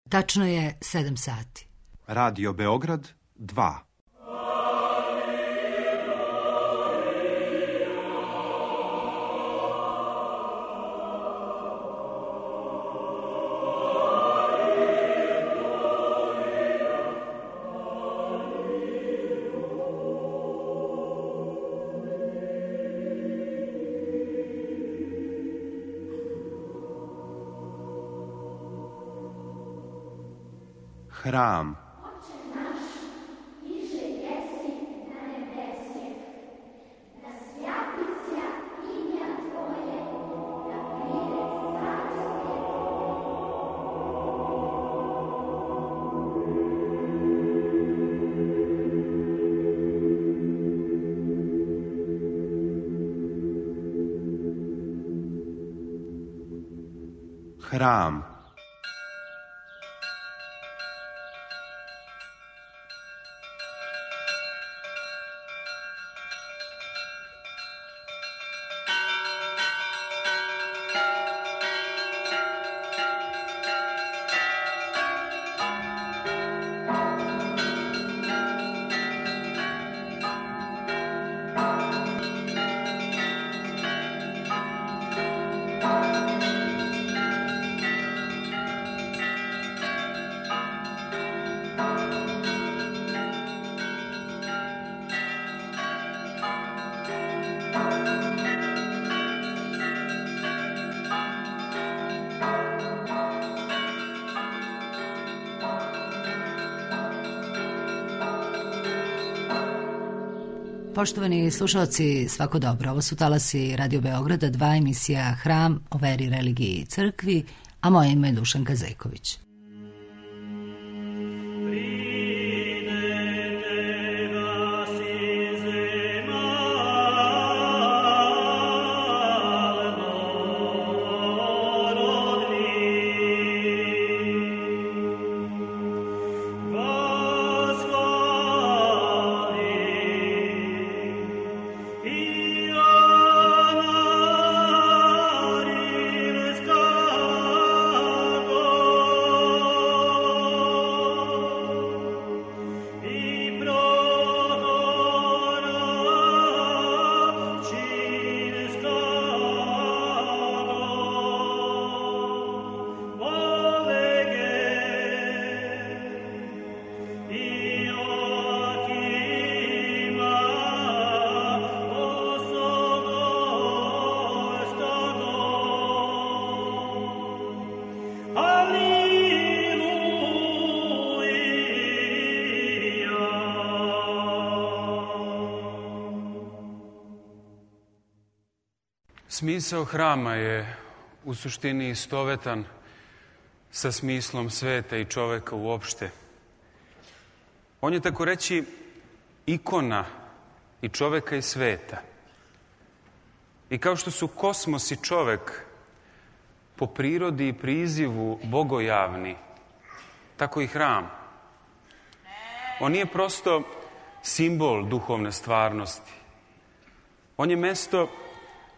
Tačno je 7 sati. Radio Beograd 2. Hram. Hram. Poštovani slušalci, svako dobro. Ovo su talasi Radio Beograda 2, emisija Hram o veri, religiji i crkvi, a moje ime je Dušanka Zeković. Smisao hrama je u suštini istovetan sa smislom sveta i čoveka uopšte. On je, tako reći, ikona i čoveka i sveta. I kao što su kosmos i čovek po prirodi i prizivu bogojavni, tako i hram. On nije prosto simbol duhovne stvarnosti. On je mesto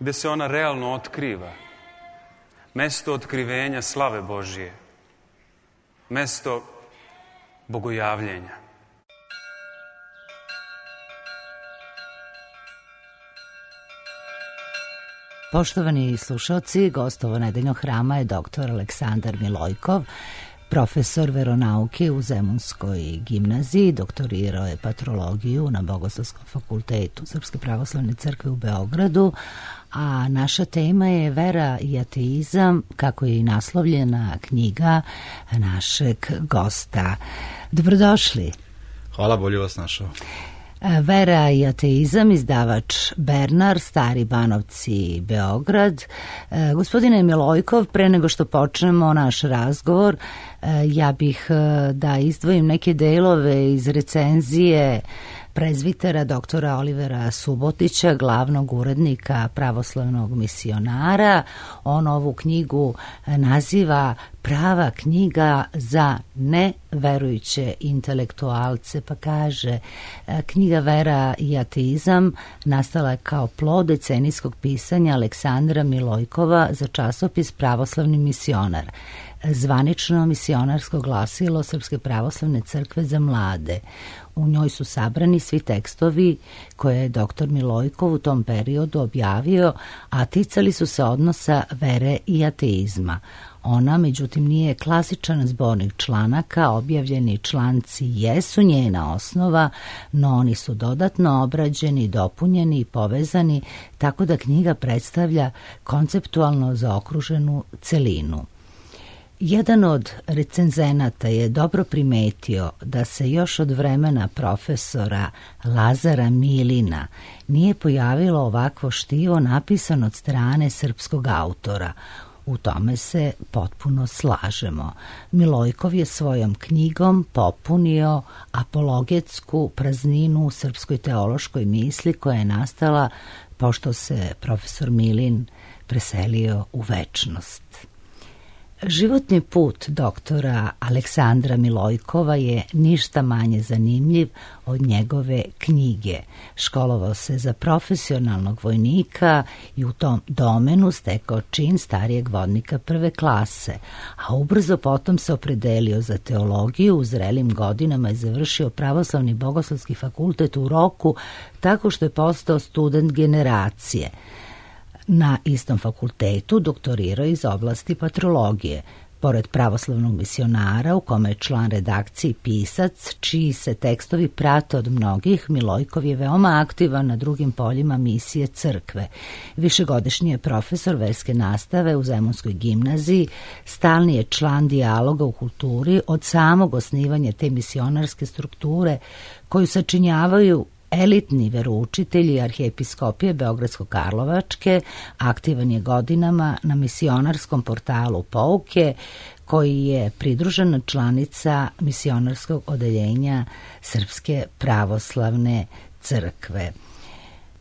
gde se ona realno otkriva. Mesto otkrivenja slave Božije. Mesto bogojavljenja. Poštovani slušalci, gost ovo nedeljnog hrama je dr. Aleksandar Milojkov, profesor veronauke u Zemunskoj gimnaziji, doktorirao je patrologiju na Bogoslovskom fakultetu Srpske pravoslavne crkve u Beogradu, a naša tema je vera i ateizam, kako je i naslovljena knjiga našeg gosta. Dobrodošli. Hvala, bolje vas našao. Vera i ateizam, izdavač Bernar, Stari Banovci, Beograd. Gospodine Milojkov, pre nego što počnemo naš razgovor, ja bih da izdvojim neke delove iz recenzije prezvitera doktora Olivera Subotića, glavnog urednika Pravoslavnog misionara. On ovu knjigu naziva prava knjiga za neverujuće intelektualce, pa kaže: knjiga Vera i ateizam nastala je kao plod decenijskog pisanja Aleksandra Milojkova za časopis Pravoslavni misionar. zvanično misionarsko glasilo Srpske pravoslavne crkve za mlade. U njoj su sabrani svi tekstovi koje je dr. Milojkov u tom periodu objavio, a ticali su se odnosa vere i ateizma. Ona, međutim, nije klasičan zbornik članaka, objavljeni članci jesu njena osnova, no oni su dodatno obrađeni, dopunjeni i povezani, tako da knjiga predstavlja konceptualno zaokruženu celinu. Jedan od recenzenata je dobro primetio da se još od vremena profesora Lazara Milina nije pojavilo ovakvo štivo napisano od strane srpskog autora. U tome se potpuno slažemo. Milojkov je svojom knjigom popunio apologetsku prazninu u srpskoj teološkoj misli koja je nastala pošto se profesor Milin preselio u večnost. Životni put doktora Aleksandra Milojkova je ništa manje zanimljiv od njegove knjige. Školovao se za profesionalnog vojnika i u tom domenu stekao čin starijeg vodnika prve klase, a ubrzo potom se opredelio za teologiju, u zrelim godinama je završio Pravoslavni bogoslovski fakultet u Roku tako što je postao student generacije. Na istom fakultetu doktorirao iz oblasti patrologije. Pored pravoslavnog misionara, u kome je član redakcije i pisac, čiji se tekstovi prate od mnogih, Milojkov je veoma aktivan na drugim poljima misije crkve. Višegodišnji je profesor verske nastave u Zemunskoj gimnaziji, stalni je član dijaloga u kulturi od samog osnivanja te misionarske strukture koju sačinjavaju elitni veroučitelji arhijepiskopije Beogradsko-Karlovačke. Aktivan je godinama na misionarskom portalu Pouke, koji je pridružena članica misionarskog odeljenja Srpske pravoslavne crkve.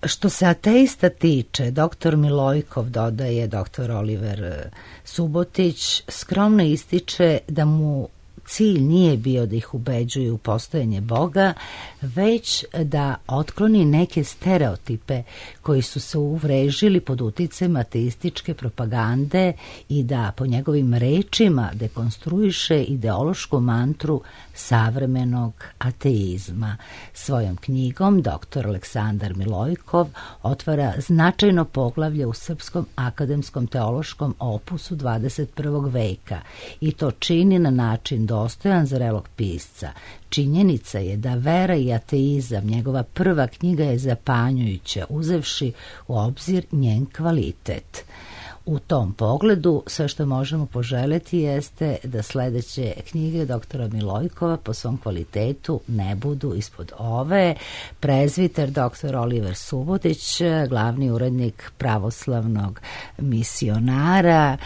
Što se ateista tiče, dr. Milojkov, dodaje dr. Oliver Subotić, skromno ističe da mu cilj nije bio da ih ubeđuje u postojanje Boga, već da otkloni neke stereotipe koji su se uvrežili pod uticajem ateističke propagande i da po njegovim rečima dekonstruiše ideološku mantru savremenog ateizma. Svojom knjigom dr. Aleksandar Milojkov otvara značajno poglavlje u srpskom akademskom teološkom opusu 21. veka i to čini na način dostojan zrelog pisca. Činjenica je da vera i ateizam, njegova prva knjiga, je zapanjujuća, uzevši u obzir njen kvalitet. U tom pogledu sve što možemo poželjeti jeste da sledeće knjige doktora Milojkova po svom kvalitetu ne budu ispod ove. Prezviter dr. Oliver Subotić, glavni urednik Pravoslavnog misionara.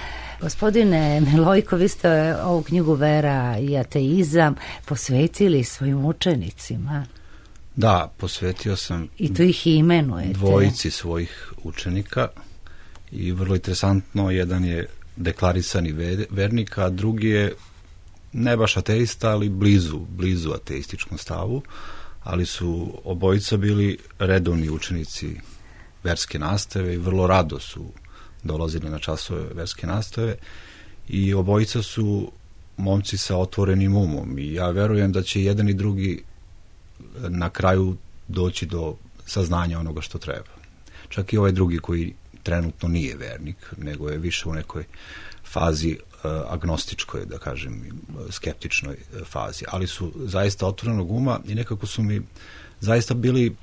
Gospodine Milojkov, vi ste ovu knjigu Vera i ateizam posvetili svojim učenicima. Da, posvetio sam i to ih imenujete. Dvojici svojih učenika. I vrlo interesantno, jedan je deklarisani vernik, a drugi je ne baš ateista, ali blizu ateističkom stavu, ali su obojica bili redovni učenici verske nastave i vrlo rado su dolazili na časove verske nastave i obojica su momci sa otvorenim umom i ja verujem da će jedan i drugi na kraju doći do saznanja onoga što treba. Čak i ovaj drugi koji trenutno nije vernik, nego je više u nekoj fazi agnostičkoj, da kažem, skeptičnoj fazi, ali su zaista otvorenog uma i nekako su mi zaista bili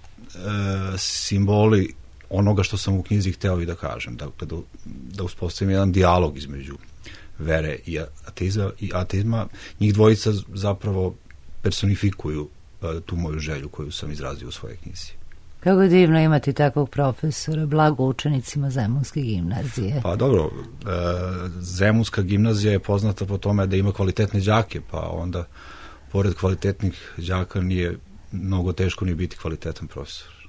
simboli onoga što sam u knjizi hteo i da kažem, dakle da uspostavim jedan dijalog između vere i ateizma. Njih dvojica zapravo personifikuju tu moju želju koju sam izrazio u svojoj knjizi. Kako je divno imati takvog profesora, blago učenicima Zemunske gimnazije. Pa dobro, Zemunska gimnazija je poznata po tome da ima kvalitetne đake, pa onda pored kvalitetnih đaka nije mnogo teško ni biti kvalitetan profesor.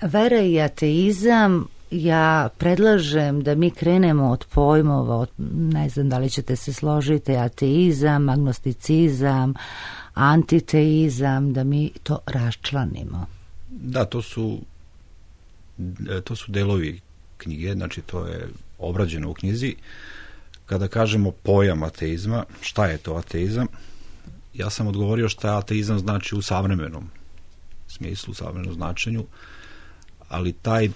Vera i ateizam, ja predlažem da mi krenemo od pojmova, ne znam da li ćete se složiti, ateizam, agnosticizam, antiteizam, da mi to raščlanimo. Da, to su delovi knjige, znači to je obrađeno u knjizi. kada kažemo pojam ateizma, šta je to ateizam? Ja sam odgovorio šta ateizam znači u savremenom smislu, u savremenom značenju, ali taj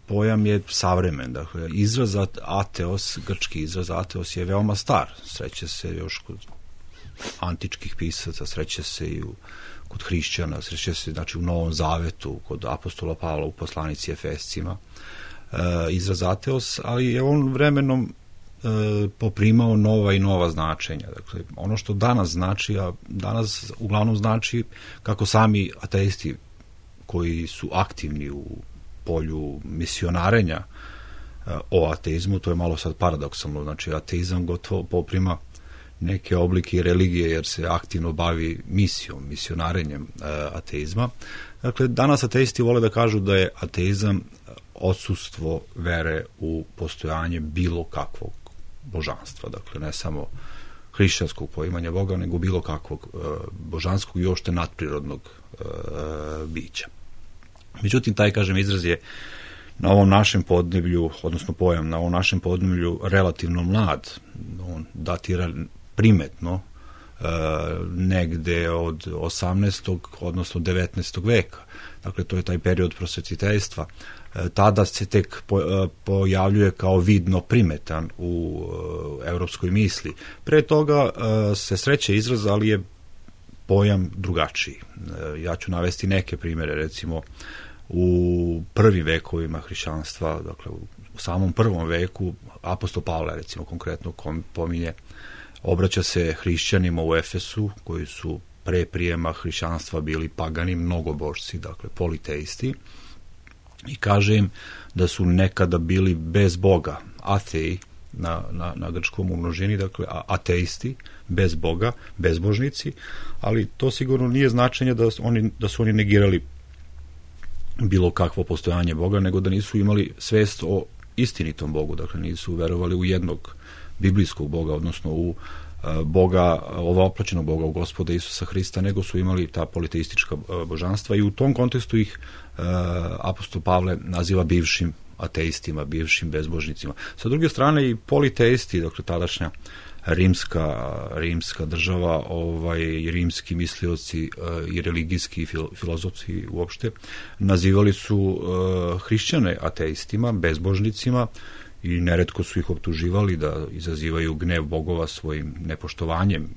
pojam je savremen. Dakle, izraz ateos, grčki izraz ateos je veoma star. Sreće se još kod antičkih pisaca, sreće se i kod hrišćana, sreće se znači u Novom Zavetu, kod apostola Pavla u poslanici Efescima, izraz ateos, ali je on vremenom poprimao nova i nova značenja. Dakle, ono što danas znači, a danas uglavnom znači kako sami ateisti koji su aktivni u polju misionarenja o ateizmu, to je malo sad paradoksalno, znači ateizam gotovo poprima neke oblike religije jer se aktivno bavi misijom, misionarenjem ateizma. Dakle, danas ateisti vole da kažu da je ateizam odsustvo vere u postojanje bilo kakvog božanstva, dakle ne samo hrišćanskog poimanja Boga, nego bilo kakvog božanskog i uopšte nadprirodnog bića. Međutim, taj, kažem, izraz je na ovom našem podneblju, odnosno pojam na ovom našem podneblju relativno mlad. On datira primetno negde od 18. odnosno 19. veka. Dakle, to je taj period prosvetiteljstva. Tada se tek pojavljuje kao vidno primetan u evropskoj misli. Pre toga se sreće izraz, ali je pojam drugačiji. Ja ću navesti neke primere, recimo u prvim vekovima hrišćanstva, dakle u samom prvom veku, apostol Pavle, recimo konkretno pominje, obraća se hrišćanima u Efesu, koji su pre prijema hrišćanstva bili pagani, mnogobožci, dakle politeisti, i kaže im da su nekada bili bez Boga, atei, na grčkom u množini, dakle ateisti, bez Boga, bezbožnici, ali to sigurno nije značenje da su oni negirali bilo kakvo postojanje Boga, nego da nisu imali svest o istinitom Bogu, dakle nisu verovali u jednog biblijskog Boga, odnosno u Boga, ovoplaćenog Boga, u Gospoda Isusa Hrista, nego su imali ta politeistička božanstva i u tom kontekstu ih apostol Pavle naziva bivšim ateistima, bivšim bezbožnicima. Sa druge strane i politeisti, dakle tadašnja rimska država, i rimski mislioci i religijski i filozofi uopšte nazivali su hrišćane ateistima, bezbožnicima, i neretko su ih optuživali da izazivaju gnev bogova svojim nepoštovanjem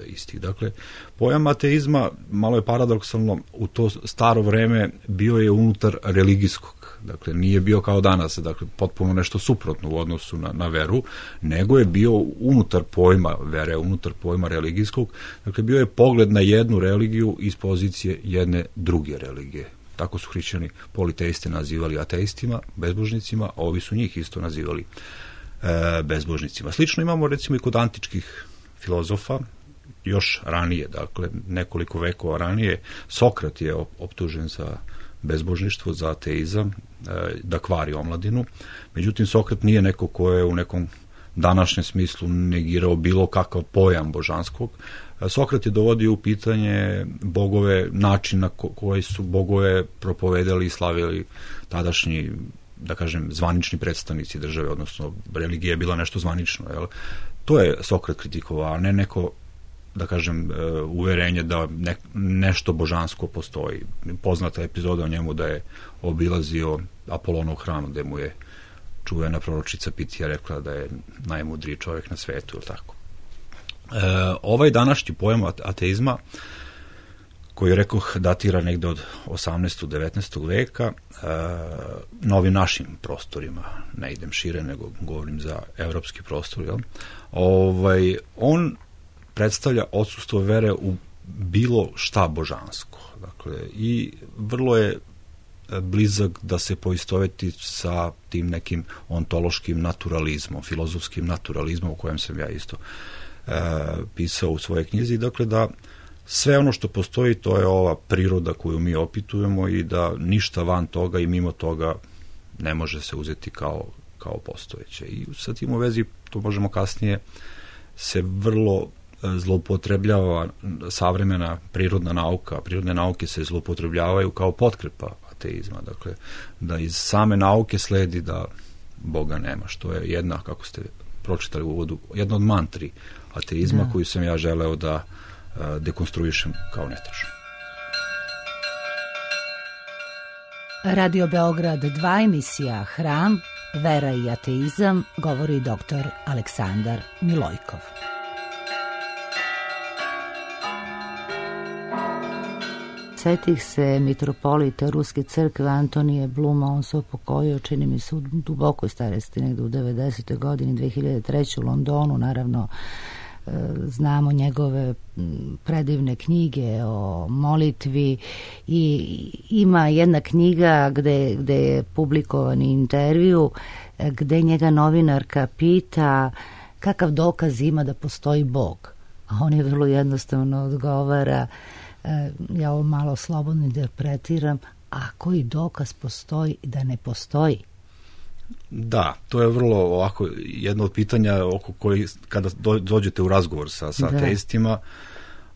istih. Dakle, pojam ateizma, malo je paradoksalno, u to staro vreme bio je unutar religijskog. Dakle, nije bio kao danas, dakle, potpuno nešto suprotno u odnosu na veru, nego je bio unutar pojma vere, unutar pojma religijskog. Dakle, bio je pogled na jednu religiju iz pozicije jedne druge religije. Tako su hrišćani politeiste nazivali ateistima, bezbožnicima, a ovi su njih isto nazivali bezbožnicima. Slično imamo recimo i kod antičkih filozofa, još ranije, dakle nekoliko vekova ranije. Sokrat je optužen za bezbožništvo, za ateizam, da kvari omladinu. Međutim, Sokrat nije neko ko je u nekom današnjem smislu negirao bilo kakav pojam božanskog. Sokrat je dovodio u pitanje bogove, način na koji su bogove propovedali i slavili tadašnji, da kažem, zvanični predstavnici države, odnosno religija je bila nešto zvanično. Jel? To je Sokrat kritikovao, a ne neko, da kažem, uverenje da nešto božansko postoji. Poznata epizoda o njemu da je obilazio Apolonov hram, gde mu je čuvena proročica Pitija rekla da je najmudriji čovjek na svetu, ili tako. Ovaj današnji pojam ateizma, koji, rekoh, datira negde od 18. 19. veka, na ovim našim prostorima, ne idem šire, nego govorim za evropski prostor, jel? On predstavlja odsustvo vere u bilo šta božansko. Dakle, i vrlo je blizak da se poistoveti sa tim nekim ontološkim naturalizmom, filozofskim naturalizmom, o kojem sam ja isto pisao u svojoj knjizi. Dakle, da sve ono što postoji, to je ova priroda koju mi opitujemo i da ništa van toga i mimo toga ne može se uzeti kao postojeće. I sa tim u vezi, to možemo kasnije, se vrlo zloupotrebljava savremena prirodna nauka. Prirodne nauke se zloupotrebljavaju kao potkrepa ateizma. Dakle, da iz same nauke sledi da Boga nema, što je jedna, kako ste pročitali u uvodu, jedna od mantri ateizma koju sam ja želeo da dekonstruišem kao netačnu. Radio Beograd 2, emisija Hram, vera i ateizam, govori dr. Aleksandar Milojkov. Setih se mitropolita Ruske crkve Antonije Bluma, on se upokojio, čini mi se, u dubokoj starosti, negde u 90. godini, 2003. u Londonu, naravno. Znamo njegove predivne knjige o molitvi i ima jedna knjiga gde je publikovan intervju gde njega novinarka pita kakav dokaz ima da postoji Bog, a on je vrlo jednostavno odgovara, ja ovo malo slobodno interpretiram, a koji dokaz postoji da ne postoji? Da, to je vrlo ovako jedno od pitanja oko koji kada dođete u razgovor sa ateistima,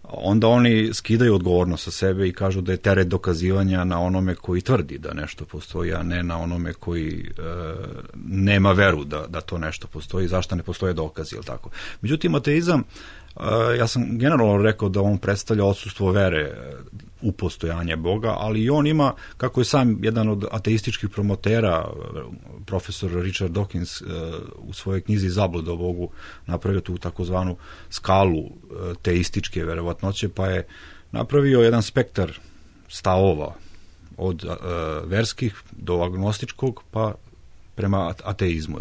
onda oni skidaju odgovornost sa sebe i kažu da je teret dokazivanja na onome koji tvrdi da nešto postoji, a ne na onome koji nema veru da to nešto postoji, zašto ne postoje dokazi, ili tako. Međutim, ateizam, ja sam generalno rekao da on predstavlja odsustvo vere u postojanje Boga, ali i on ima, kako je sam jedan od ateističkih promotera, profesor Richard Dawkins, u svojoj knjizi Zabluda o Bogu napravio tu takozvanu skalu teističke verovatnoće, pa je napravio jedan spektar stavova od verskih do agnostičkog pa prema ateizmu,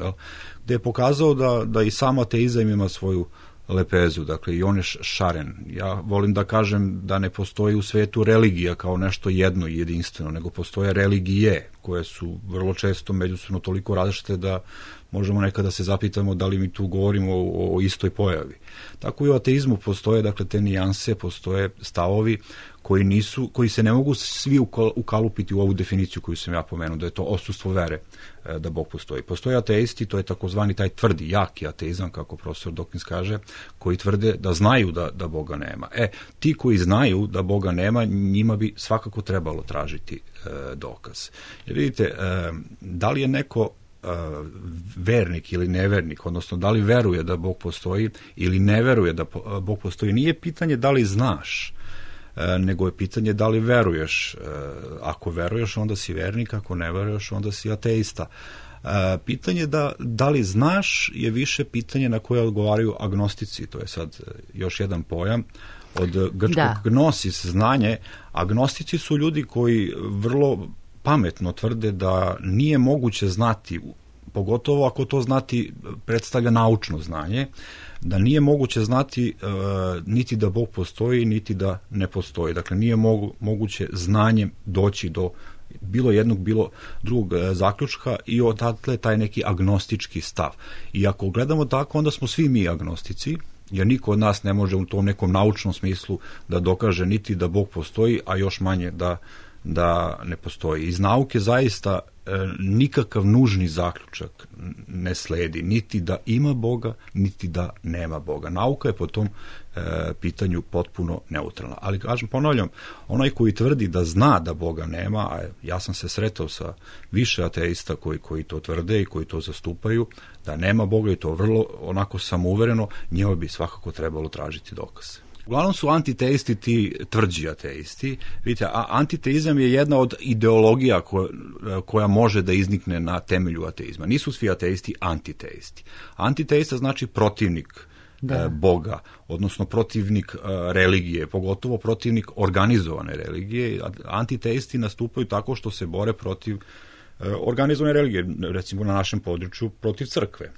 gde je pokazao da i sam ateizam ima svoju lepezu, dakle i on je šaren. Ja volim da kažem da ne postoji u svetu religija kao nešto jedno i jedinstveno, nego postoje religije koje su vrlo često međusobno toliko različite da možemo nekada se zapitamo da li mi tu govorimo o istoj pojavi. Tako i u ateizmu postoje, dakle, te nijanse, postoje stavovi koji se ne mogu svi ukalupiti u ovu definiciju koju sam ja pomenuo, da je to odsustvo vere da Bog postoji. Postoje ateisti, to je takozvani taj tvrdi, jaki ateizam, kako profesor Dawkins kaže, koji tvrde da znaju da Boga nema. Ti koji znaju da Boga nema, njima bi svakako trebalo tražiti dokaz. Jer vidite, da li je neko vernik ili nevernik, odnosno da li veruje da Bog postoji ili ne veruje da Bog postoji, nije pitanje da li znaš, nego je pitanje da li veruješ. Ako veruješ, onda si vernik, ako ne veruješ, onda si ateista. Pitanje da li znaš je više pitanje na koje odgovaraju agnostici, to je sad još jedan pojam, od grčkog gnosis, znanje. Agnostici su ljudi koji vrlo pametno tvrde da nije moguće znati, pogotovo ako to znati predstavlja naučno znanje, da nije moguće znati niti da Bog postoji, niti da ne postoji. Dakle, nije moguće znanjem doći do bilo jednog, bilo drugog zaključka i odatle taj neki agnostički stav. I ako gledamo tako, onda smo svi mi agnostici, jer niko od nas ne može u tom nekom naučnom smislu da dokaže niti da Bog postoji, a još manje da ne postoji. Iz nauke zaista nikakav nužni zaključak ne sledi, niti da ima Boga, niti da nema Boga. Nauka je po tom pitanju potpuno neutralna. Ali, kažem, ponavljam, onaj koji tvrdi da zna da Boga nema, a ja sam se sretao sa više ateista koji to tvrde i koji to zastupaju, da nema Boga i to vrlo onako samouvereno, njima bi svakako trebalo tražiti dokaze. Uglavnom su antiteisti ti tvrđi ateisti. Vidite, antiteizam je jedna od ideologija koja može da iznikne na temelju ateizma. Nisu svi ateisti antiteisti. Antiteista znači protivnik Boga, odnosno protivnik religije, pogotovo protivnik organizovane religije. Antiteisti nastupaju tako što se bore protiv organizovane religije, recimo na našem području protiv crkve.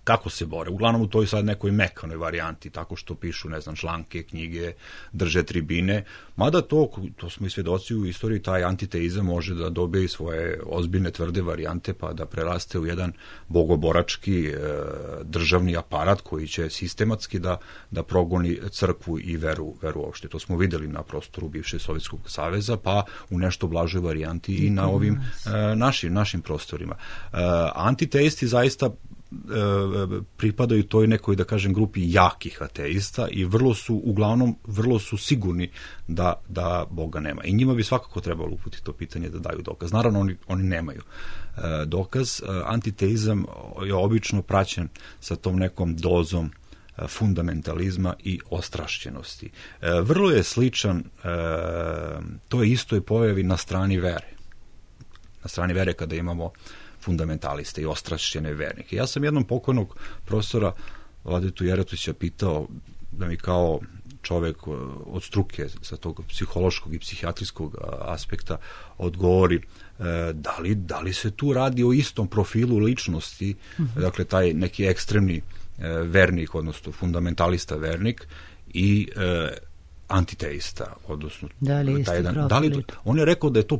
Kako se bore? Uglavnom u toj sad nekoj mekanoj varijanti, tako što pišu, ne znam, članke, knjige, drže tribine, mada to smo i svjedoci u istoriji, taj antiteizam može da dobije svoje ozbiljne tvrde varijante pa da preraste u jedan bogoborački državni aparat koji će sistematski da progoni crkvu i veru uopšte. To smo videli na prostoru bivšeg Sovjetskog saveza, pa u nešto blažoj varijanti i na ovim našim prostorima. Antiteisti zaista pripadaju toj nekoj, da kažem, grupi jakih ateista i vrlo su sigurni da Boga nema. I njima bi svakako trebalo uputiti to pitanje da daju dokaz. Naravno, oni nemaju dokaz. Antiteizam je obično praćen sa tom nekom dozom fundamentalizma i ostrašćenosti. Vrlo je sličan toj istoj pojavi na strani vere. Na strani vere kada imamo fundamentaliste i ostrašćene vernike. Ja sam jednom pokojnog profesora Vladetu Jeretića pitao da mi kao čovek od struke sa tog psihološkog i psihijatrijskog aspekta odgovori da li se tu radi o istom profilu ličnosti, dakle taj neki ekstremni vernik, odnosno fundamentalista vernik i antiteista, odnosno da li isti profil? On je rekao da je to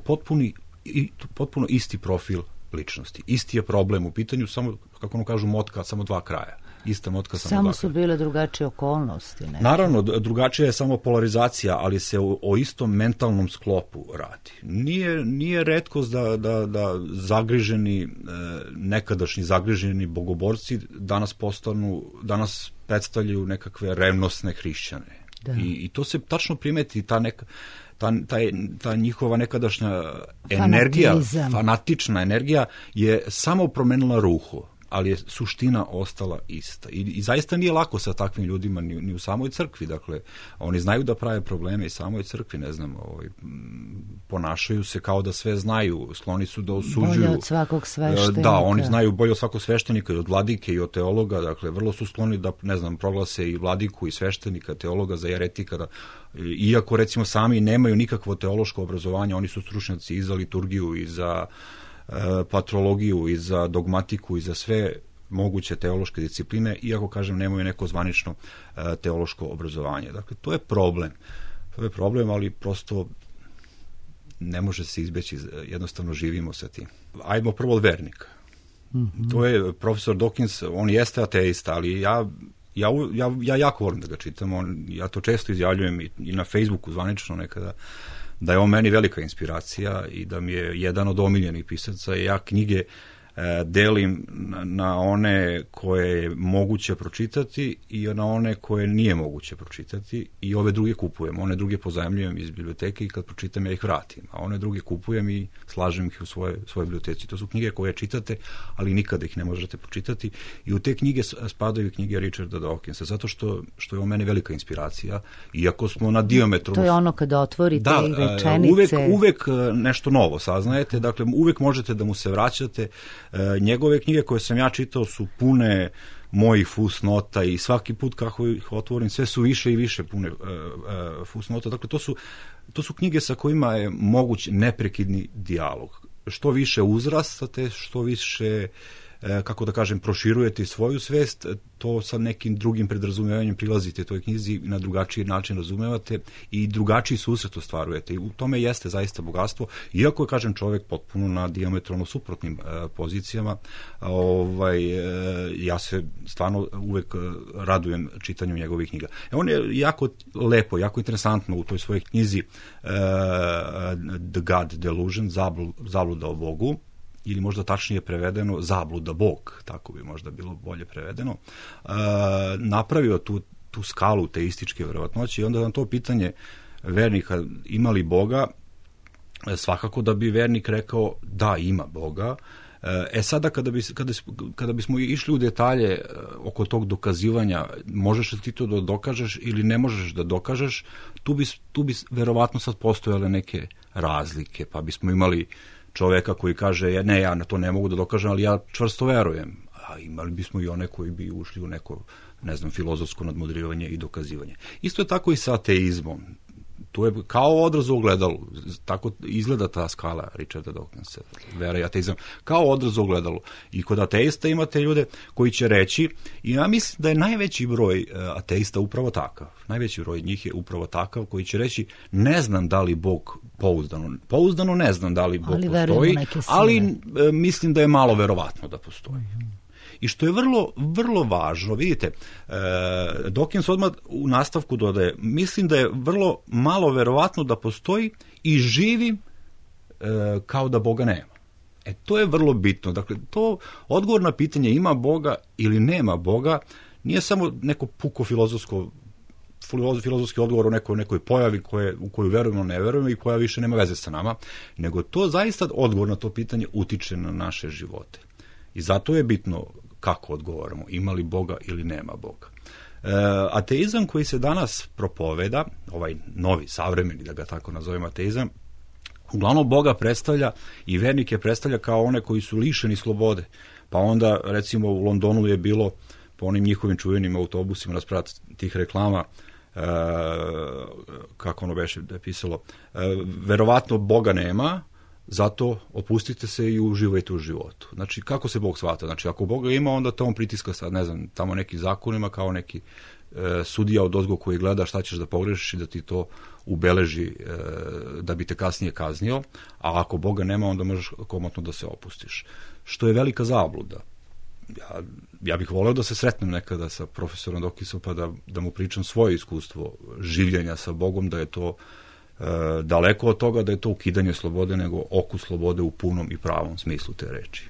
potpuno isti profil ličnosti. Isti je problem u pitanju, samo, kako ono kažu, motka, samo dva kraja. Ista motka, samo dva kraja. Samo su bile drugačije okolnosti. Neke. Naravno, drugačija je samo polarizacija, ali se o istom mentalnom sklopu radi. Nije retkost da zagriženi, nekadašnji zagriženi bogoborci danas predstavljaju nekakve revnosne hrišćane. Da. I to se tačno primeti, ta njihova nekadašnja energija, fanatična energija je samo promenila ruhu, ali je suština ostala ista. I zaista nije lako sa takvim ljudima ni u samoj crkvi. Dakle, oni znaju da prave probleme i samoj crkvi, ne znam, ponašaju se kao da sve znaju, skloni su da osuđuju. Bolje od svakog sveštenika. Da, oni znaju bolje od svakog sveštenika i od vladike i od teologa, dakle, vrlo su skloni da, ne znam, proglase i vladiku i sveštenika, teologa za jeretika, iako, recimo, sami nemaju nikakvo teološko obrazovanje, oni su stručnjaci i za liturgiju i za patrologiju i za dogmatiku i za sve moguće teološke discipline, iako, kažem, nemaju neko zvanično teološko obrazovanje. Dakle, to je problem. To je problem, ali prosto ne može se izbeći, jednostavno živimo sa tim. Ajmo prvo od vernika. To je profesor Dawkins, on jeste ateista, ali ja jako volim da ga čitam, ja to često izjavljujem i na Facebooku zvanično nekada, da je on meni velika inspiracija i da mi je jedan od omiljenih pisaca. Ja knjige delim na one koje je moguće pročitati i na one koje nije moguće pročitati i ove druge kupujem. One druge pozajmljujem iz biblioteke i kad pročitam ja ih vratim. A one druge kupujem i slažem ih u svoje biblioteci. To su knjige koje čitate, ali nikada ih ne možete pročitati. I u te knjige spadaju knjige Richarda Dawkinsa, zato što je on mene velika inspiracija. Iako smo na diametru... To je ono kada otvorite rečenice... Uvek nešto novo saznajete. Dakle, uvek možete da mu se vraćate. Njegove knjige koje sam ja čitao su pune mojih fusnota i svaki put kako ih otvorim sve su više i više pune fusnota. Dakle, to su knjige sa kojima je moguć neprekidni dijalog. Što više uzrastate, što više, kako da kažem, proširujete svoju svest, to sa nekim drugim predrazumevanjem prilazite toj knjizi i na drugačiji način razumevate i drugačiji susret ostvarujete. I u tome jeste zaista bogatstvo, iako je, kažem, čovek potpuno na dijametralno suprotnim pozicijama. Ja se stvarno uvek radujem čitanju njegovih knjiga. On je jako lepo, jako interesantno u toj svojoj knjizi The God Delusion, zabluda o Bogu, ili možda tačnije prevedeno zabluda Bog, tako bi možda bilo bolje prevedeno, napravio tu skalu teističke verovatnoće i onda na to pitanje vernika ima li Boga, svakako da bi vernik rekao da, ima Boga. Sada kada bismo išli u detalje oko tog dokazivanja, možeš li ti to da dokažeš ili ne možeš da dokažeš, tu bi verovatno sad postojale neke razlike, pa bismo imali čoveka koji kaže, ne, ja na to ne mogu da dokažem, ali ja čvrsto verujem. A imali bismo i one koji bi ušli u neko, ne znam, filozofsko nadmudrivanje i dokazivanje. Isto je tako i sa ateizmom. To je kao odraz u ogledalu. Tako izgleda ta skala Richarda Dawkinsa, vera i ateizam. Kao odraz u ogledalu. I kod ateista imate ljude koji će reći, i ja mislim da je najveći broj ateista upravo takav. Najveći broj njih je upravo takav koji će reći, ne znam da li Bog pouzdano ne znam da li Bog postoji, ali mislim da je malo verovatno da postoji. I što je vrlo, vrlo važno, vidite, Dawkins odmah u nastavku dodaje, mislim da je vrlo malo verovatno da postoji i živim kao da Boga nema. To je vrlo bitno. Dakle, to odgovor na pitanje ima Boga ili nema Boga nije samo neko puko filozofski odgovor o nekoj pojavi u koju verujemo, ne verujemo i koja više nema veze sa nama, nego to zaista odgovor na to pitanje utiče na naše živote. I zato je bitno kako odgovaramo, ima li Boga ili nema Boga. Ateizam koji se danas propoveda, ovaj novi, savremeni, da ga tako nazovem ateizam, uglavnom Boga predstavlja i vernike predstavlja kao one koji su lišeni slobode. Pa onda, recimo, u Londonu je bilo po onim njihovim čuvenim autobusima nasprat tih reklama, kako ono beše da je pisalo, verovatno Boga nema, zato opustite se i uživajte u životu. Znači, kako se Bog shvata? Znači, ako Boga ima, onda to on pritiska sad, ne znam, tamo neki zakonima, kao neki sudija odozgo koji gleda šta ćeš da pogrešiš i da ti to ubeleži da bi te kasnije kaznio, a ako Boga nema, onda možeš komotno da se opustiš. Što je velika zabluda. Ja bih voleo da se sretnem nekada sa profesorom Dokisom pa da mu pričam svoje iskustvo življenja sa Bogom, da je to daleko od toga da je to ukidanje slobode, nego okus slobode u punom i pravom smislu te reči.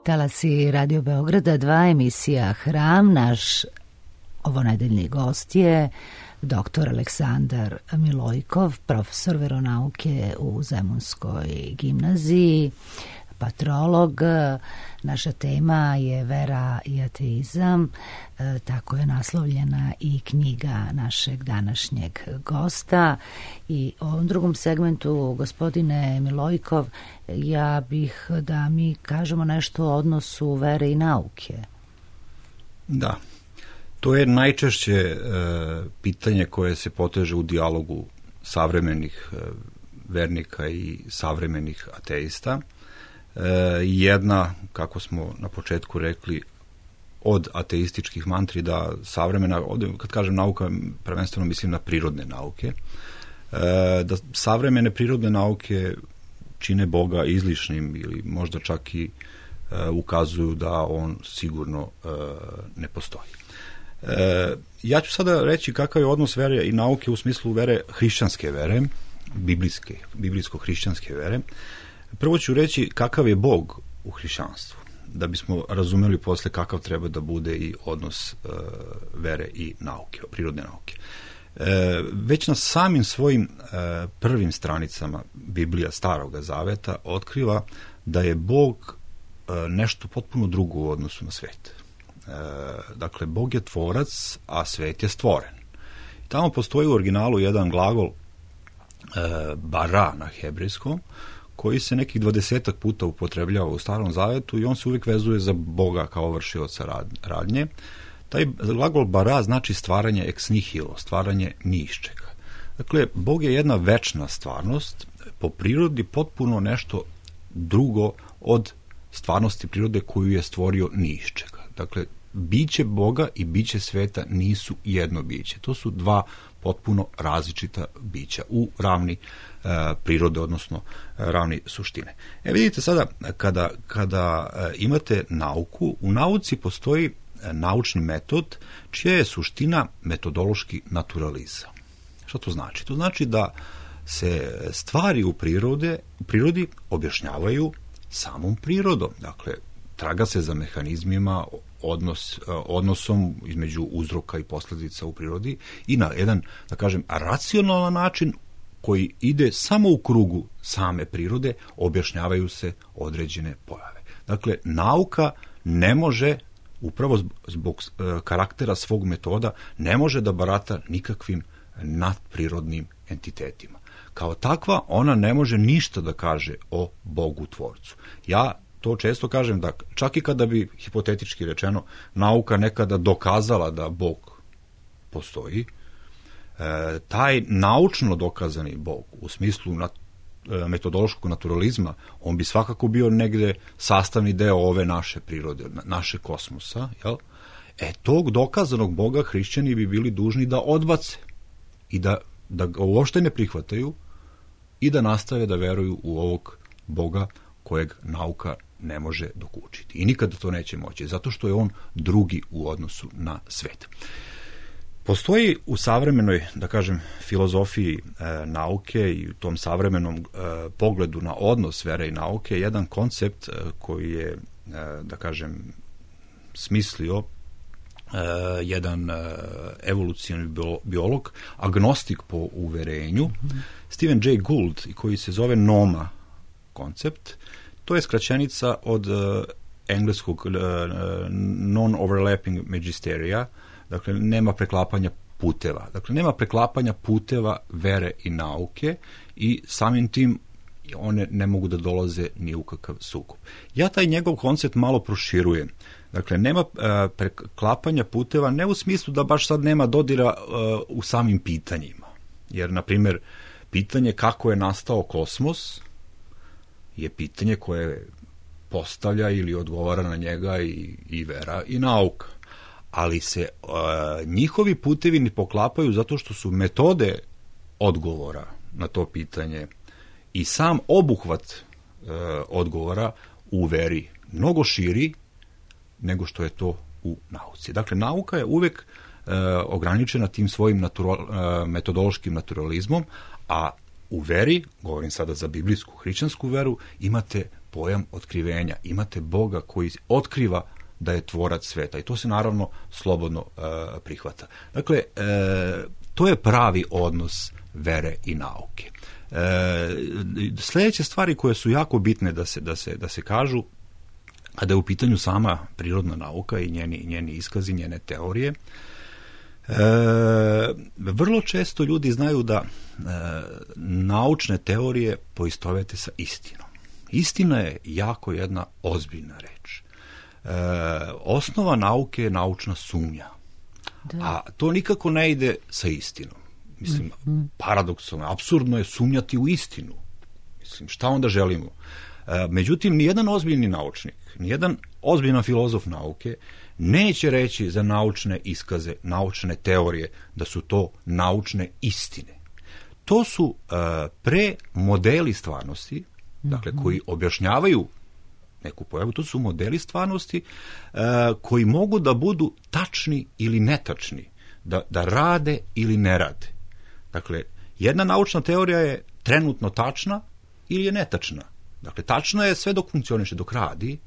Talasi Radio Beograda 2, emisija Hram. Naš ovonedeljni gost je dr. Aleksandar Milojkov, profesor veronauke u Zemunskoj gimnaziji, patrolog. Naša tema je vera i ateizam, tako je naslovljena i knjiga našeg današnjeg gosta. I u ovom drugom segmentu, gospodine Milojkov, ja bih da mi kažemo nešto o odnosu vere i nauke. Da, to je najčešće pitanje koje se poteže u dijalogu savremenih vernika i savremenih ateista. Jedna, kako smo na početku rekli, od ateističkih mantri da savremena, kad kažem nauka, prvenstveno mislim na prirodne nauke, da savremene prirodne nauke čine Boga izlišnim ili možda čak i ukazuju da on sigurno ne postoji. Ja ću sada reći kakav je odnos vere i nauke u smislu vere, hrišćanske vere, biblijsko-hrišćanske vere. Prvo ću reći kakav je Bog u hrišćanstvu, da bismo razumeli posle kakav treba da bude i odnos vere i nauke, prirodne nauke. Već na samim svojim prvim stranicama Biblija Staroga Zaveta otkriva da je Bog nešto potpuno drugo u odnosu na svet. Dakle, Bog je tvorac, a svet je stvoren. Tamo postoji u originalu jedan glagol bara na hebrejskom, koji se nekih 20 puta upotrebljava u Starom Zavetu i on se uvijek vezuje za Boga kao vršioca radnje. Taj glagol bara znači stvaranje ex nihilo, stvaranje ni iz čega. Dakle, Bog je jedna večna stvarnost, po prirodi potpuno nešto drugo od stvarnosti prirode koju je stvorio ni iz čega. Dakle, biće Boga i biće sveta nisu jedno biće. To su dva potpuno različita bića u ravni prirode, odnosno ravni suštine. Vidite sada, kada imate nauku, u nauci postoji naučni metod čija je suština metodološki naturalizam. Što to znači? To znači da se stvari u prirodi objašnjavaju samom prirodom. Dakle, traga se za mehanizmima, odnosom između uzroka i posljedica u prirodi i na jedan, da kažem, racionalan način koji ide samo u krugu same prirode, objašnjavaju se određene pojave. Dakle, nauka ne može, upravo zbog karaktera svog metoda, ne može da barata nikakvim nadprirodnim entitetima. Kao takva, ona ne može ništa da kaže o Bogu tvorcu. Ja to često kažem da čak i kada bi, hipotetički rečeno, nauka nekada dokazala da Bog postoji, taj naučno dokazani Bog u smislu metodološkog naturalizma, on bi svakako bio negde sastavni deo ove naše prirode, naše kosmosa, jel? Tog dokazanog Boga hrišćani bi bili dužni da odbace i da ga uopšte ne prihvataju i da nastave da veruju u ovog Boga kojeg nauka ne može dokučiti. I nikada to neće moći, zato što je on drugi u odnosu na svet. Postoji u savremenoj, da kažem, filozofiji nauke i u tom savremenom pogledu na odnos vere i nauke jedan koncept koji je, da kažem, smislio jedan evolucioni biolog, agnostik po uverenju, Stephen Jay Gould, koji se zove NOMA koncept. To je skraćenica od engleskog non-overlapping magisteria, dakle nema preklapanja puteva. Dakle, nema preklapanja puteva vere i nauke i samim tim one ne mogu da dolaze ni u kakav sukob. Ja taj njegov koncept malo proširujem. Dakle, nema preklapanja puteva ne u smislu da baš sad nema dodira u samim pitanjima. Jer, na primjer, pitanje kako je nastao kosmos je pitanje koje postavlja ili odgovara na njega i vera i nauka. Ali se njihovi putevi ne poklapaju zato što su metode odgovora na to pitanje i sam obuhvat odgovora u veri mnogo širi nego što je to u nauci. Dakle, nauka je uvek ograničena tim svojim metodološkim naturalizmom, a u veri, govorim sada za biblijsku, hrišćansku veru, imate pojam otkrivenja, imate Boga koji otkriva da je tvorac sveta i to se naravno slobodno prihvata. Dakle, to je pravi odnos vere i nauke. Sljedeće stvari koje su jako bitne da se kažu, kada je u pitanju sama prirodna nauka i njeni iskazi, njene teorije, vrlo često ljudi znaju da naučne teorije poistovete sa istinom. Istina je jako jedna ozbiljna reč. Osnova nauke je naučna sumnja. Da. A to nikako ne ide sa istinom. Mislim, paradoksalno, apsurdno je sumnjati u istinu. Mislim, šta onda želimo? Međutim, nijedan ozbiljni naučnik, nijedan ozbiljan filozof nauke neće reći za naučne iskaze, naučne teorije, da su to naučne istine. To su pre modeli stvarnosti, dakle, koji objašnjavaju neku pojavu, to su modeli stvarnosti koji mogu da budu tačni ili netačni, da rade ili ne rade. Dakle, jedna naučna teorija je trenutno tačna ili je netačna. Dakle, tačna je sve dok funkcioniše, dok radi.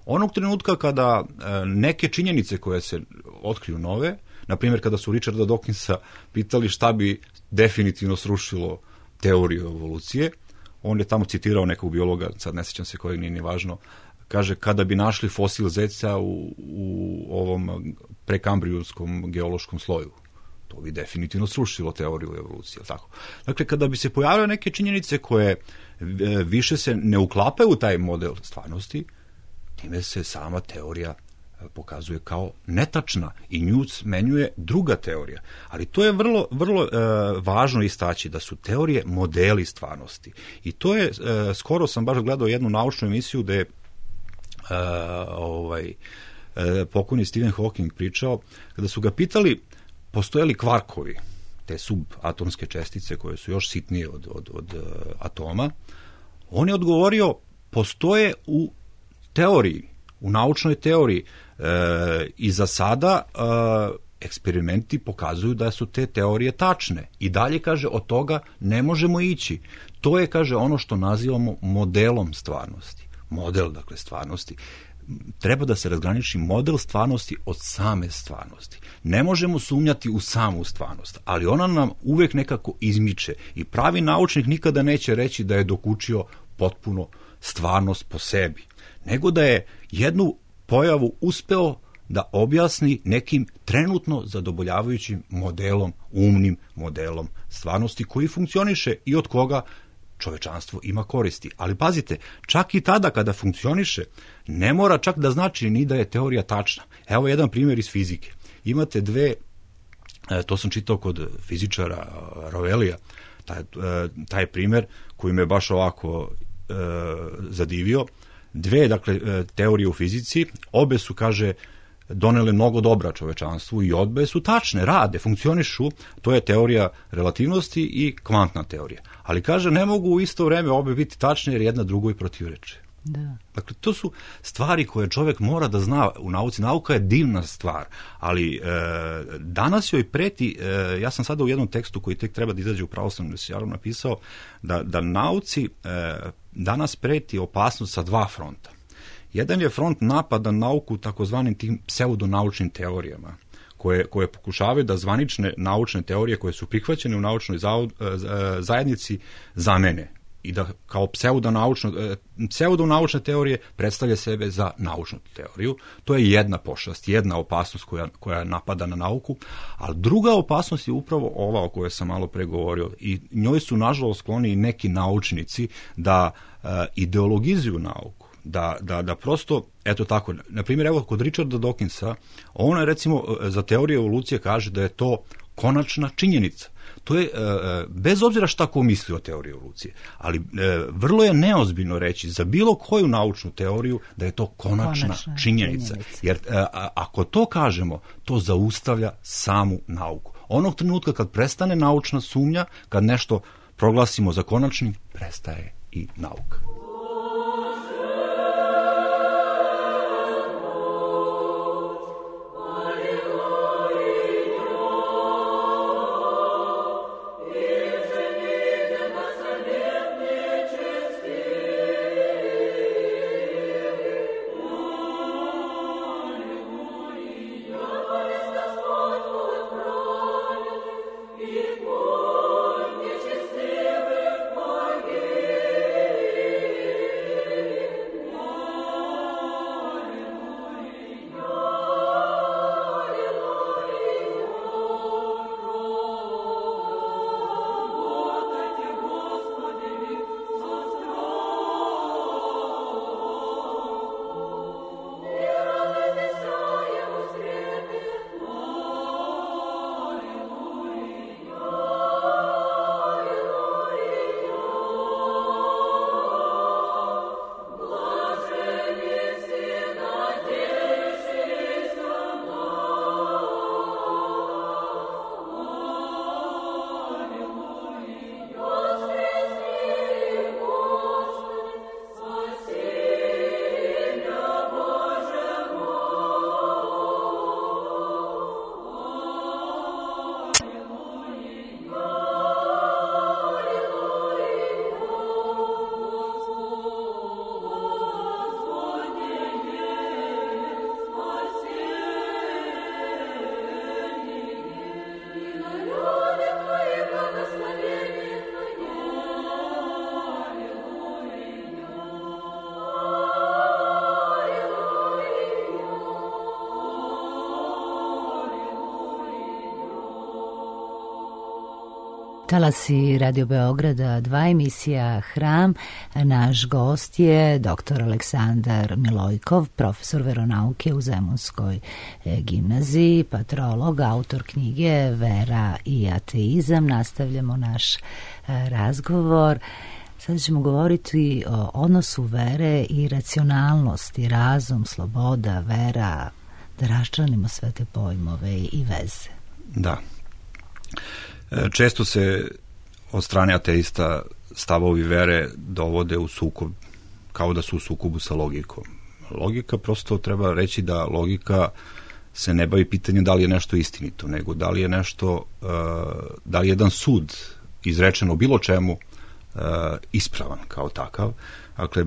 Onog trenutka kada neke činjenice koje se otkriju nove, na primjer kada su Richarda Dawkinsa pitali šta bi definitivno srušilo teoriju evolucije, on je tamo citirao nekog biologa, sad ne sjećam se kojeg, nije važno, kaže kada bi našli fosil zeca u ovom prekambrijuskom geološkom sloju. To bi definitivno srušilo teoriju evolucije. Tako. Dakle, kada bi se pojavile neke činjenice koje više se ne uklapaju u taj model stvarnosti, time se sama teorija pokazuje kao netačna i nju smenjuje druga teorija. Ali to je vrlo važno istaći da su teorije modeli stvarnosti. I to je, skoro sam baš gledao jednu naučnu emisiju gde pokojni Stephen Hawking pričao, kada su ga pitali postoje li kvarkovi, te subatomske čestice koje su još sitnije od atoma, on je odgovorio postoje u teoriji, u naučnoj teoriji i za sada eksperimenti pokazuju da su te teorije tačne. I dalje, kaže, od toga ne možemo ići. To je, kaže, ono što nazivamo modelom stvarnosti. Model, dakle, stvarnosti. Treba da se razgraniči model stvarnosti od same stvarnosti. Ne možemo sumnjati u samu stvarnost, ali ona nam uvek nekako izmiče i pravi naučnik nikada neće reći da je dokučio potpuno stvarnost po sebi, nego da je jednu pojavu uspeo da objasni nekim trenutno zadovoljavajućim modelom, umnim modelom stvarnosti koji funkcioniše i od koga čovečanstvo ima koristi. Ali pazite, čak i tada kada funkcioniše, ne mora čak da znači ni da je teorija tačna. Evo jedan primjer iz fizike. Imate dve, to sam čitao kod fizičara Ravelija, taj primjer koji me baš ovako zadivio. Dve, dakle, teorije u fizici, obe su, kaže, donele mnogo dobra čovečanstvu i obe su tačne, rade, funkcionišu, to je teorija relativnosti i kvantna teorija. Ali, kaže, ne mogu u isto vreme obe biti tačne jer jedna drugoj protivreče. Da. Dakle, to su stvari koje čovjek mora da zna u nauci. Nauka je divna stvar, ali danas joj preti, ja sam sada u jednom tekstu koji tek treba da izađe u Pravoslavnom univerzitetu napisao da nauci danas preti opasnost sa dva fronta. Jedan je front napada nauku takozvanim tim pseudonaučnim teorijama, koje pokušavaju da zvanične naučne teorije koje su prihvaćene u naučnoj zajednici zamene i da kao pseudonaučne teorije predstavlja sebe za naučnu teoriju. To je jedna pošast, jedna opasnost koja napada na nauku, ali druga opasnost je upravo ova o kojoj sam malo pre govorio i njoj su nažalost skloni i neki naučnici da ideologizuju nauku. Da prosto, eto tako, na primjer, evo kod Richarda Dawkinsa, on recimo za teoriju evolucije kaže da je to konačna činjenica. To je, bez obzira šta ko misli o teoriji evolucije, ali vrlo je neozbiljno reći za bilo koju naučnu teoriju da je to konačna činjenica. Jer ako to kažemo, to zaustavlja samu nauku. Onog trenutka kad prestane naučna sumnja, kad nešto proglasimo za konačnim, prestaje i nauka. Talasi Radio Beograda, 2 emisija Hram. Naš gost je dr. Aleksandar Milojkov, profesor veronauke u Zemunskoj gimnaziji, patrolog, autor knjige Vera i ateizam. Nastavljamo naš razgovor. Sada ćemo govoriti o odnosu vere i racionalnosti, razum, sloboda, vera, da raščlanimo sve te pojmove i veze. Da. Često se od strane ateista stavovi vere dovode u sukob, kao da su u sukobu sa logikom. Logika, prosto treba reći da logika se ne bavi pitanjem da li je nešto istinito, nego da li je nešto, da li je jedan sud izrečen o bilo čemu ispravan kao takav. Dakle,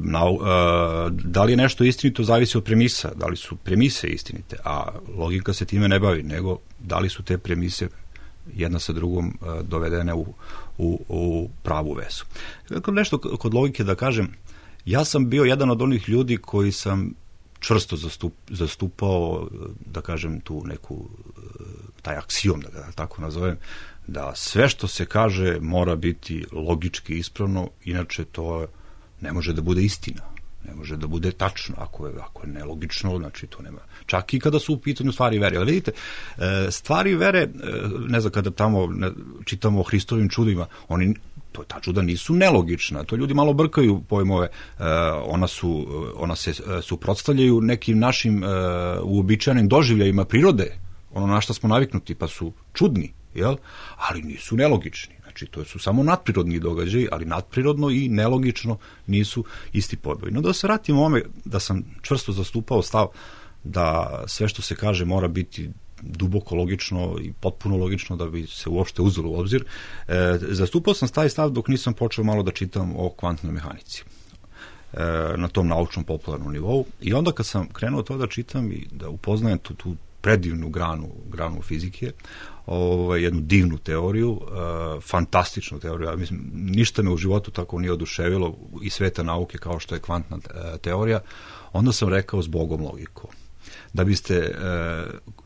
da li je nešto istinito zavisi od premisa, da li su premise istinite, a logika se time ne bavi, nego da li su te premise jedna sa drugom dovedene u pravu vezu. Nešto kod logike da kažem, ja sam bio jedan od onih ljudi koji sam čvrsto zastupao, da kažem, tu neku, taj aksiom, da ga tako nazovem, da sve što se kaže mora biti logički ispravno, inače to ne može da bude istina, ne može da bude tačno, ako je nelogično, znači to nema. Čak i kada su u pitanju stvari vere. Ali vidite, stvari vere, ne znam, kada tamo čitamo o Hristovim čudima, ta čuda nisu nelogična, to ljudi malo brkaju pojmove, ona se suprotstavljaju nekim našim uobičajenim doživljajima prirode, ono na što smo naviknuti, pa su čudni, jel? Ali nisu nelogični. Znači, to su samo nadprirodni događaji, ali nadprirodno i nelogično nisu isti pojmovi. No da se vratimo ome, da sam čvrsto zastupao stav da sve što se kaže mora biti duboko logično i potpuno logično da bi se uopšte uzelo u obzir. Zastupao sam taj stav dok nisam počeo malo da čitam o kvantnoj mehanici na tom naučnom popularnom nivou. I onda kad sam krenuo to da čitam i da upoznajem tu predivnu granu fizike, jednu divnu teoriju, fantastičnu teoriju, ja mislim, ništa me u životu tako nije oduševilo i sveta nauke kao što je kvantna teorija, onda sam rekao s Bogom logikom. Da biste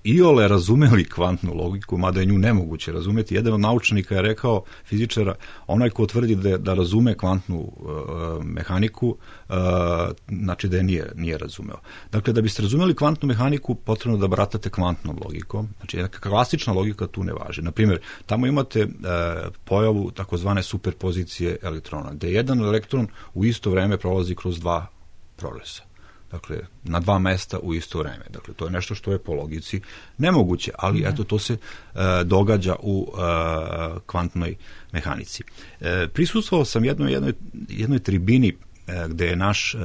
iole razumeli kvantnu logiku, mada je nju nemoguće razumeti, jedan od naučnika je rekao, fizičara, onaj ko tvrdi da razume kvantnu mehaniku, znači da je nije razumeo. Dakle, da biste razumeli kvantnu mehaniku, potrebno da baratate kvantnom logikom, znači neka klasična logika tu ne važi. Naprimjer, tamo imate pojavu takozvane superpozicije elektrona, gde jedan elektron u isto vreme prolazi kroz 2 proleza. Dakle, na 2 mesta u isto vreme. Dakle, to je nešto što je po logici nemoguće, ali eto, to se događa u kvantnoj mehanici. Prisustvovao sam jednoj tribini gde je naš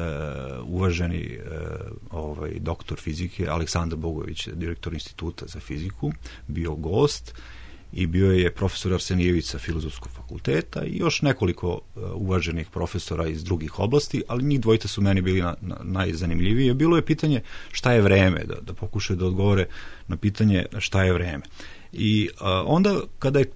uvaženi doktor fizike Aleksandar Bogović, direktor Instituta za fiziku, bio gost i bio je profesor Arsenijević sa Filozofskog fakulteta i još nekoliko uvaženih profesora iz drugih oblasti, ali njih dvojica su meni bili najzanimljivije. Bilo je pitanje šta je vreme, da pokušaju da odgovore na pitanje šta je vreme. I onda kada je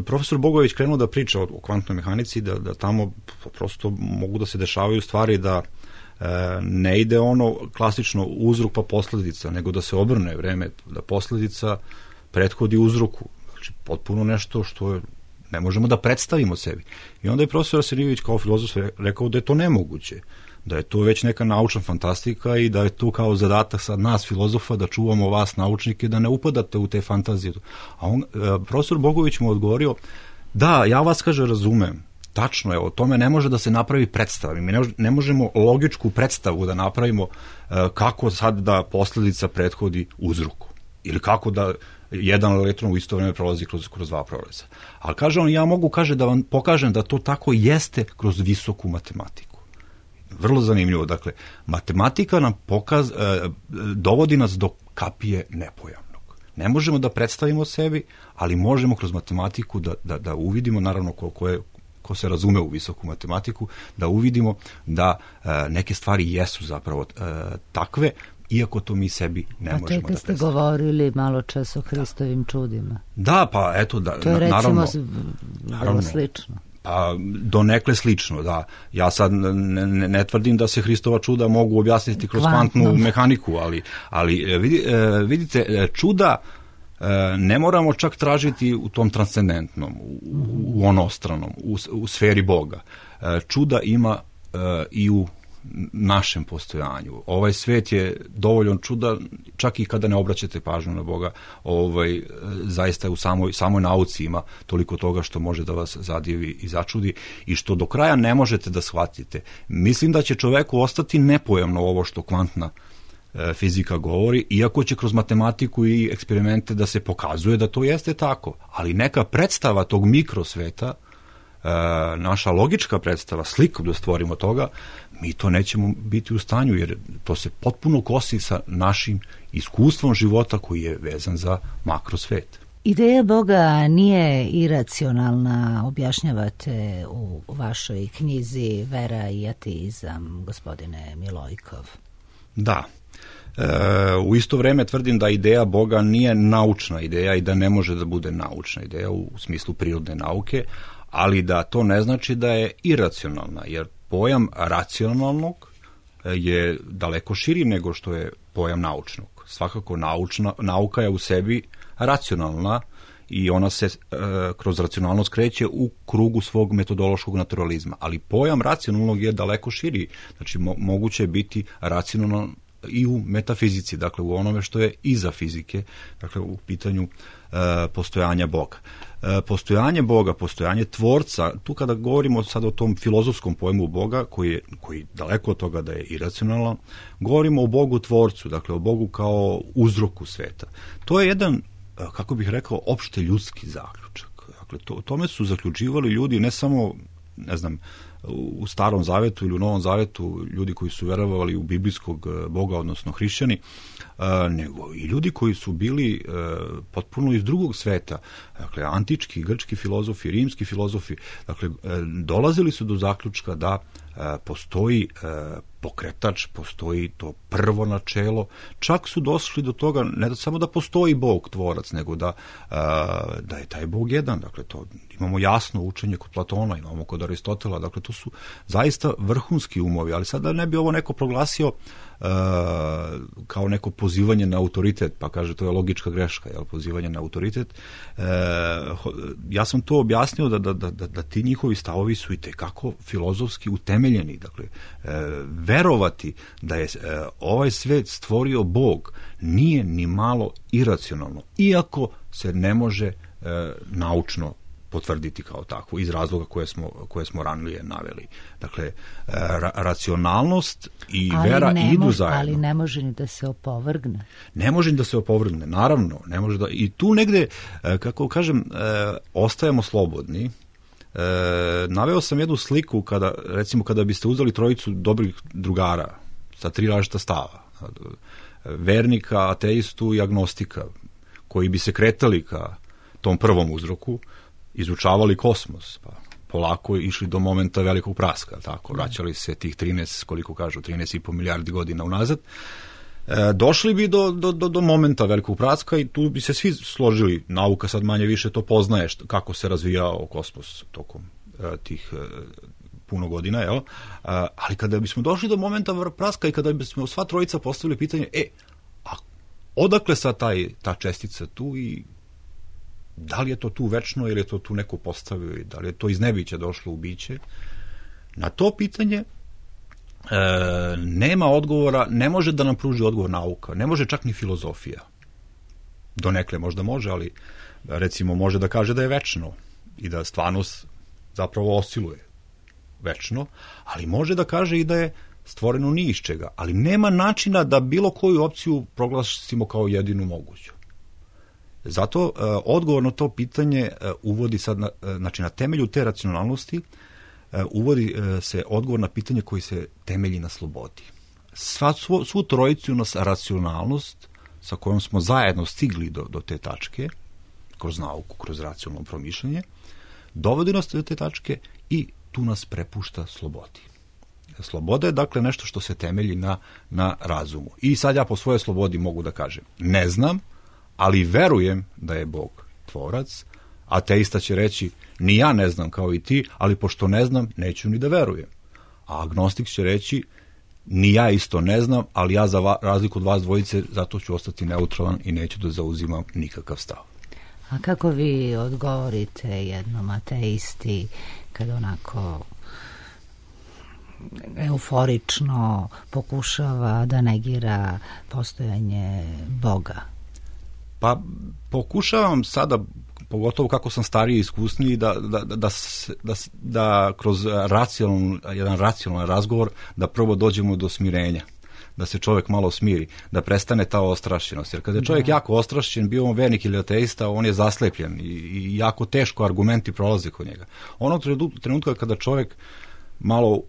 profesor Bogović krenuo da priča o kvantnoj mehanici, da tamo prosto mogu da se dešavaju stvari da ne ide ono klasično uzrok pa posledica, nego da se obrne vreme, da posledica prethodi uzroku. Znači, potpuno nešto što ne možemo da predstavimo sebi. I onda je profesor Arsenijević kao filozof rekao da je to nemoguće, da je to već neka naučna fantastika i da je to kao zadatak sad nas filozofa da čuvamo vas naučnike, da ne upadate u te fantazije. A profesor Bogović mu odgovorio, da, ja vas, kaže, razumem. Tačno je, o tome ne može da se napravi predstava. Mi ne možemo logičku predstavu da napravimo kako sad da posledica prethodi uzroku. Ili kako da jedan elektron u isto vreme prolazi kroz 2 proleza. Ali kaže on, ja mogu, kaže, da vam pokažem da to tako jeste kroz visoku matematiku. Vrlo zanimljivo. Dakle, matematika nam dovodi nas do kapije nepojavnog. Ne možemo da predstavimo sebi, ali možemo kroz matematiku da uvidimo, naravno ko se razume u visoku matematiku, da uvidimo da neke stvari jesu zapravo takve, iako to mi sebi ne možemo da predstavimo. A to je kad ste govorili malo čas o Hristovim čudima. Da, pa eto, to je recimo vrlo slično. Pa donekle slično, da. Ja sad ne tvrdim da se Hristova čuda mogu objasniti kroz kvantnu mehaniku, ali vidite, čuda ne moramo čak tražiti u tom transcendentnom, u onostranom, u sferi Boga. Čuda ima i u našem postojanju. Ovaj svet je dovoljno čuda, čak i kada ne obraćate pažnju na Boga, zaista u samoj nauci ima toliko toga što može da vas zadivi i začudi i što do kraja ne možete da shvatite. Mislim da će čoveku ostati nepojamno ovo što kvantna fizika govori, iako će kroz matematiku i eksperimente da se pokazuje da to jeste tako, ali neka predstava tog mikrosveta, naša logička predstava, sliku da stvorimo toga, mi to nećemo biti u stanju, jer to se potpuno kosi sa našim iskustvom života koji je vezan za makrosvet. Ideja Boga nije iracionalna, objašnjavate u vašoj knjizi Vera i ateizam, gospodine Milojkov. Da. U isto vreme tvrdim da ideja Boga nije naučna ideja i da ne može da bude naučna ideja u smislu prirodne nauke, ali da to ne znači da je iracionalna, jer pojam racionalnog je daleko širi nego što je pojam naučnog. Svakako nauka je u sebi racionalna i ona se kroz racionalnost kreće u krugu svog metodološkog naturalizma, ali pojam racionalnog je daleko širi, znači moguće je biti racionalno i u metafizici, dakle u onome što je iza fizike, dakle u pitanju postojanja Boga. Postojanje Boga, postojanje tvorca, tu kada govorimo sad o tom filozofskom pojmu Boga, koji daleko od toga da je iracionalan, govorimo o Bogu tvorcu, dakle o Bogu kao uzroku sveta. To je jedan, kako bih rekao, opšte ljudski zaključak. Dakle, tome su zaključivali ljudi ne samo, ne znam, u Starom zavetu ili u Novom zavetu, ljudi koji su verovali u biblijskog Boga, odnosno hrišćani, nego i ljudi koji su bili potpuno iz drugog sveta, dakle antički, grčki filozofi, rimski filozofi, dakle dolazili su do zaključka da postoji pokretač, postoji to prvo načelo, čak su došli do toga ne da samo da postoji Bog tvorac, nego da je taj Bog jedan, dakle to imamo jasno učenje kod Platona, imamo kod Aristotela, dakle to su zaista vrhunski umovi, ali sada ne bi ovo neko proglasio kao neko pozivanje na autoritet, pa kaže to je logička greška, jel, pozivanje na autoritet. Ja sam to objasnio da ti njihovi stavovi su i tekako filozofski utemeljeni, dakle verovati da je ovaj svet stvorio Bog nije ni malo iracionalno, iako se ne može naučno potvrditi kao takvo, iz razloga koje smo ranije naveli. Dakle, racionalnost i vera idu zajedno. Ali ne može ni da se opovrgne. Ne može ni da se opovrgne, naravno. Ne može da, i tu negde, kako kažem, ostajemo slobodni. Naveo sam jednu sliku kada biste uzeli trojicu dobrih drugara sa 3 različita stava. Vernika, ateistu i agnostika, koji bi se kretali ka tom prvom uzroku, izučavali kosmos, pa polako išli do momenta velikog praska, tako, vraćali se tih 13,5 milijardi godina unazad, došli bi do momenta velikog praska i tu bi se svi složili, nauka sad manje više to poznaje kako se razvijao kosmos tokom tih puno godina, jel? Ali kada bismo došli do momenta praska i kada bismo sva trojica postavili pitanje, a odakle sad ta čestica tu i da li je to tu večno ili je to tu neko postavio i da li je to iz nebića došlo u biće, na to pitanje nema odgovora, ne može da nam pruži odgovor nauka, ne može čak ni filozofija. Donekle možda može, ali recimo može da kaže da je večno i da stvarnost zapravo osciluje večno, ali može da kaže i da je stvoreno ni iz čega, ali nema načina da bilo koju opciju proglasimo kao jedinu moguću. Zato odgovor na to pitanje uvodi sad, znači na temelju te racionalnosti, uvodi se odgovor na pitanje koji se temelji na slobodi. Svu trojicu nas racionalnost sa kojom smo zajedno stigli do te tačke, kroz nauku, kroz racionalno promišljanje, dovodi nas do te tačke i tu nas prepušta slobodi. Sloboda je dakle nešto što se temelji na razumu. I sad ja po svojoj slobodi mogu da kažem, ne znam, ali verujem da je Bog tvorac. Ateista će reći, ni ja ne znam kao i ti, ali pošto ne znam, neću ni da verujem. A agnostik će reći, Ni ja isto ne znam, ali ja za razliku od vas dvojice zato ću ostati neutralan i neću da zauzimam nikakav stav. A kako vi odgovorite jednom ateisti kad onako euforično pokušava da negira postojanje Boga? Pa pokušavam sada, pogotovo kako sam stariji i iskusniji, da kroz jedan racionalan razgovor da prvo dođemo do smirenja, da se čovjek malo smiri, da prestane ta ostrašćenost. Jer kada je čovjek jako ostrašćen, bio on vernik ili ateista, on je zaslepljen i jako teško argumenti prolaze kod njega. Onog trenutka kada čovjek malo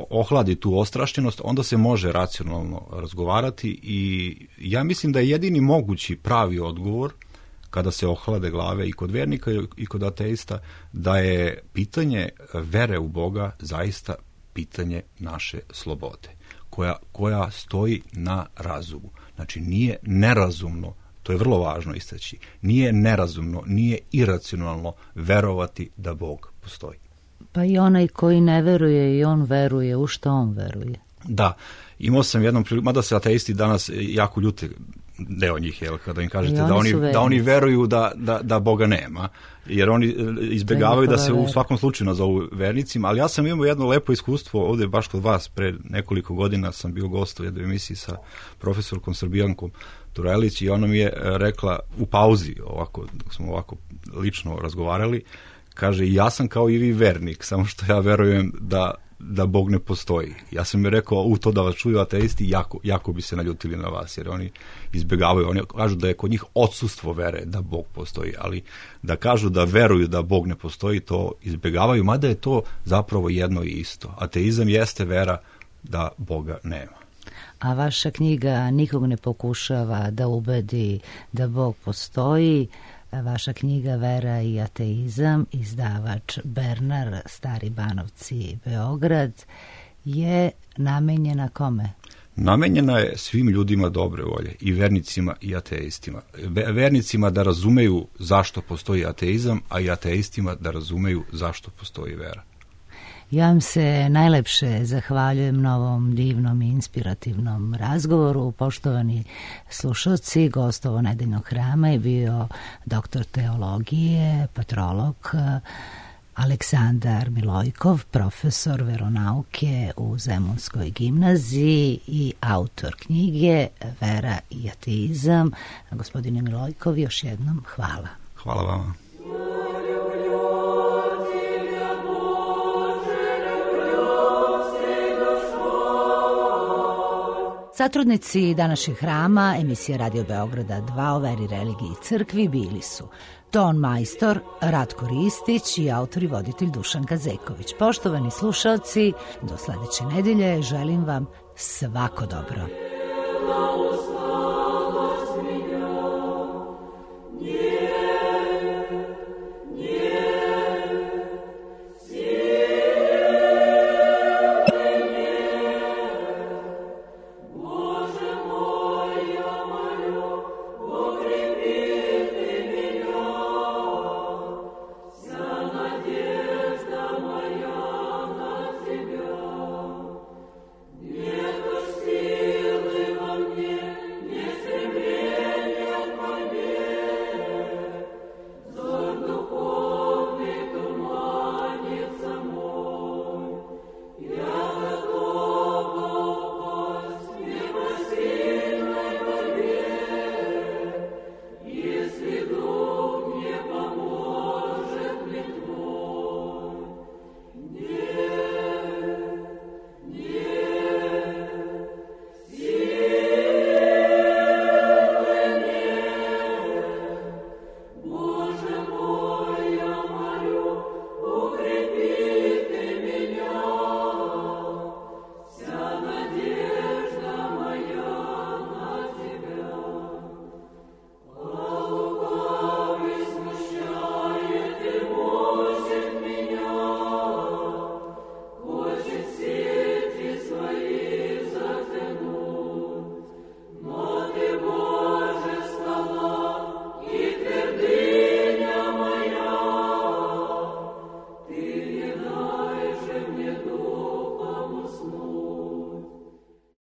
ohladi tu ostrašćenost, onda se može racionalno razgovarati i ja mislim da je jedini mogući pravi odgovor kada se ohlade glave i kod vernika i kod ateista, da je pitanje vere u Boga zaista pitanje naše slobode, koja stoji na razumu. Znači nije nerazumno, to je vrlo važno istaći, nije nerazumno, nije iracionalno verovati da Bog postoji. Pa i onaj koji ne veruje i on veruje, u što on veruje? Da, imao sam jednom priliku, mada se ateisti danas jako ljute, deo njih, jel, kada im kažete da oni veruju da Boga nema, jer oni izbjegavaju da se u svakom slučaju nazovu vernicima, ali ja sam imao jedno lepo iskustvo ovdje baš kod vas. Pre nekoliko godina sam bio gost u jednoj emisiji sa profesorkom Srbijankom Turelić i ona mi je rekla u pauzi, dok smo ovako lično razgovarali, kaže, ja sam kao i vi vernik, samo što ja verujem da Bog ne postoji. Ja sam mi rekao, to da vas čuju ateisti, jako bi se naljutili na vas, jer oni izbjegavaju. Oni kažu da je kod njih odsustvo vere da Bog postoji, ali da kažu da veruju da Bog ne postoji, to izbjegavaju, mada je to zapravo jedno i isto. Ateizam jeste vera da Boga nema. A vaša knjiga nikog ne pokušava da ubedi da Bog postoji. Vaša knjiga Vera i ateizam, izdavač Bernar, Stari Banovci, Beograd, je namenjena kome? Namenjena je svim ljudima dobre volje, i vernicima i ateistima. Vernicima da razumeju zašto postoji ateizam, a i ateistima da razumeju zašto postoji vera. Ja vam se najlepše zahvaljujem na ovom divnom i inspirativnom razgovoru. Poštovani slušalci, gost ovo nedeljnog hrama je bio doktor teologije, patrolog Aleksandar Milojkov, profesor veronauke u Zemunskoj gimnaziji i autor knjige Vera i ateizam. Gospodine Milojkov, još jednom hvala. Hvala vama. Satrudnici današnjeg hrama, emisija Radio Beograda 2 o veri, religiji i crkvi bili su ton majstor Ratko Ristić i autor i voditelj Dušan Kazeković. Poštovani slušalci, do sledeće nedelje želim vam svako dobro.